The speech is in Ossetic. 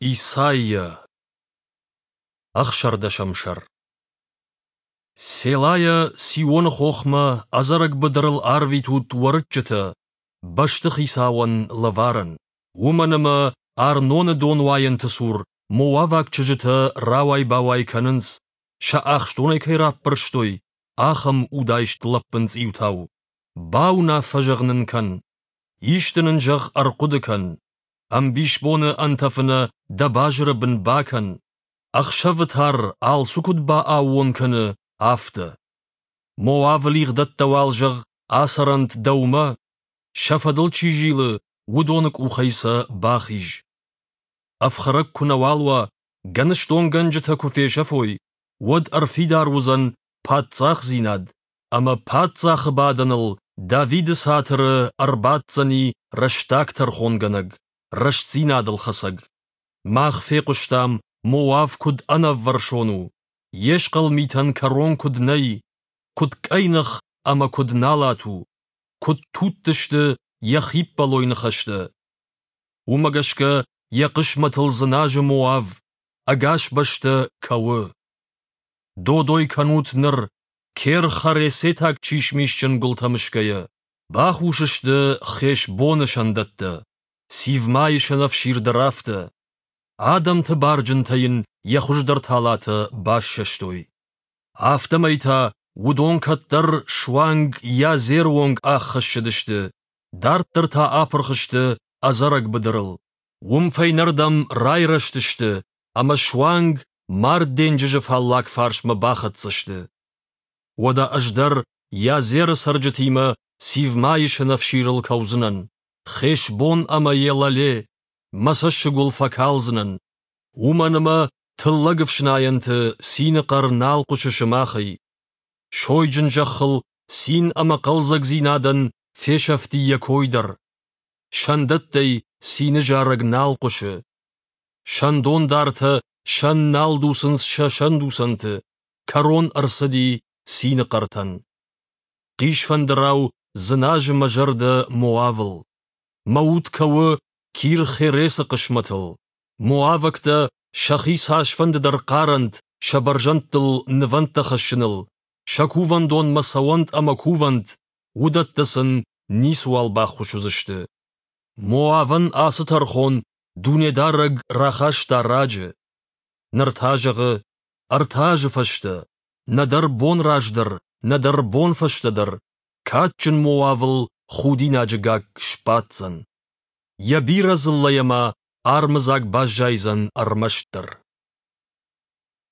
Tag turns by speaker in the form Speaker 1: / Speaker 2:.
Speaker 1: Исайя, ӕхсӕрдӕсӕм сӕр. Селайӕ Сионы хохмӕ ӕдзӕрӕг быдырыл арвитут уӕрыччытӕ, бӕстыхицауӕн лӕварӕн. Уымӕн ӕмӕ Арноны донуайӕнты цур моаваг чызджытӕ рауай-бауай кӕнынц, сӕ ахстонӕй кӕй раппӕрстой, ахӕм удаист лӕппын цъиутау. Бауынаффӕ зӕгъ нын кӕн. Исты нын зӕгъ ӕрхъуыды кӕн. Ӕмбисбоны ӕнтӕфы нӕ дӕ базыры бын бакӕн. Ӕхсӕвы тар алцы куыд бааууон кӕны, афтӕ. Моавы лигъдӕттӕ уал, зӕгъ, ацӕрӕнт дӕумӕ, сӕ фӕдыл чи зилы, уыдоны къухӕй сӕ бахиз. Ӕфхӕрӕг куы нӕуал уа, гӕныстонгӕнджытӕ куы фесӕфой, уӕд ӕрфидар уыдзӕн паддзахдзинад, ӕмӕ паддзахы бадӕныл Давиды цатыры ӕрбаддзӕни рӕстаг тӕрхонгӕнӕг, рӕстдзинадыл хӕцӕг. Мах фехъуыстам, Моав куыд ӕнӕввӕрсон у, йе схъӕл митӕн кӕрон куыд нӕй, куыд къӕйных ӕмӕ куыд налат у, куыд тутт сты йӕ хиппӕлой ныхӕстӕ. Уымӕ гӕсгӕ йӕ хъысмӕтыл дзыназы Моав, ӕгас бӕстӕ кӕуы. Додой кӕнут ныр, Кер-Харесетаг чисмисджын гуылтӕ мысгӕйӕ. Бахус сты Хешбоны сӕндӕттӕ, Сивмайы сӕнӕфсир дӕр афтӕ. Адӕмты барджынтӕ йын йӕ хуыздӕр талатӕ бассӕстой. Афтӕмӕй та уыдон кӕддӕр суанг Язеры онг ӕххӕссыдысты, дарддӕр та апырх сты ӕдзӕрӕг быдырыл. Уым фӕйнӕрдӕм райрӕзтысты ӕмӕ суанг Мард денджызы фаллаг фарсмӕ бахӕццӕ сты. Уӕдӕ ӕз дӕр Язеры цӕрджытимӕ Сивмайы сӕнӕфсирыл кӕудзынӕн, Хешбон ӕмӕ Елале, мӕ цӕссыг уыл фӕкалдзынӕн, уымӕн ӕмӕ тыллӕг ӕфснайӕнты цины хъӕр нал хъуысы сымахӕй. Сойджын зӕххыл цин ӕмӕ хъӕлдзӕгдзинадӕн фесӕфти йӕ кой дӕр. Сӕндӕттӕй цины зарӕг нал хъуысы. Сӕндондартӕ сӕн нал дуцынц сӕ сӕндуцӕнты, кӕрон ӕрцыди цины хъӕртӕн. Хъисфӕндырау дзыназы мӕ зӕрдӕ Моавыл. Мӕ уд кӕуы Кир-Хересы хъысмӕтыл. Моавӕгтӕ сӕхи цасфӕнды дӕр хъарӕнт сӕ бӕрзӕндтыл нывӕндтӕ хӕссыныл, сӕ кувӕндонмӕ цӕуӕнт ӕмӕ кувӕнт, уыдӕттӕ сын ницыуал баххуыс уыдзысты. Моавӕн ацы тӕрхон Дунедарӕг рахаста раджы. Ныр та зӕгъы, ӕртӕ азы фӕстӕ, нӕдӕр бон раздӕр, нӕдӕр бон фӕстӕдӕр, кадджын Моавыл худинаджы гакк сбаддзӕн. Йӕ бирӕ дзыллӕйӕ ма армыдзаг баззайдзӕн ӕрмӕстдӕр.